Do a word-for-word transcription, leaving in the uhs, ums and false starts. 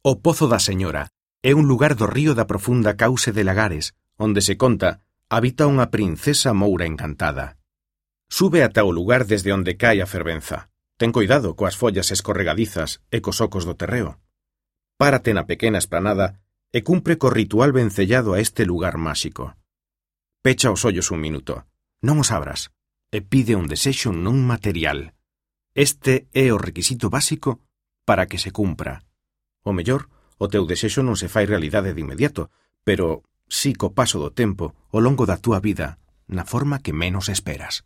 O Pozo da Señora é un lugar do río da profunda cauce de Lagares, onde se conta habita unha princesa moura encantada. Sube ata o lugar desde onde cae a fervenza. Ten cuidado coas follas escorregadizas e cos ocos do terreo. Párate na pequena esplanada e cumpre co ritual vencellado a este lugar máxico. Pecha os ollos un minuto, non os abras, e pide un desexo non material. Este é o requisito básico para que se cumpra. O mellor, o teu desexo non se fai realidade de inmediato, pero si co paso do tempo, ao longo da túa vida, na forma que menos esperas.